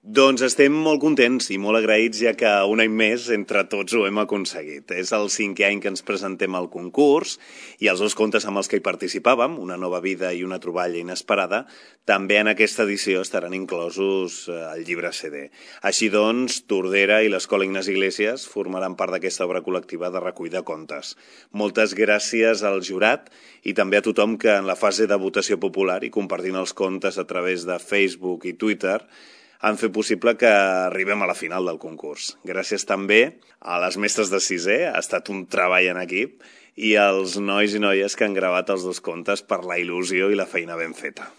Doncs estem molt contents i molt agraïts, ja que un any més entre tots ho hem aconseguit. És el 5è any que ens presentem al concurs i els 2 contes amb els que hi participàvem, Una nova vida i Una troballa inesperada, també en aquesta edició estaran inclosos al llibre CD. Així doncs, Tordera i l'Escola Ignasi Iglesias formaran part d'aquesta obra col·lectiva de recull de contes. Moltes gràcies al jurat i també a tothom que en la fase de votació popular i compartint els contes a través de Facebook i Twitter han fet possible que arribem a la final del concurs. Gràcies també a les mestres de 6è, ha estat un treball en equip, i als nois i noies que han gravat els 2 contes per la il·lusió i la feina ben feta.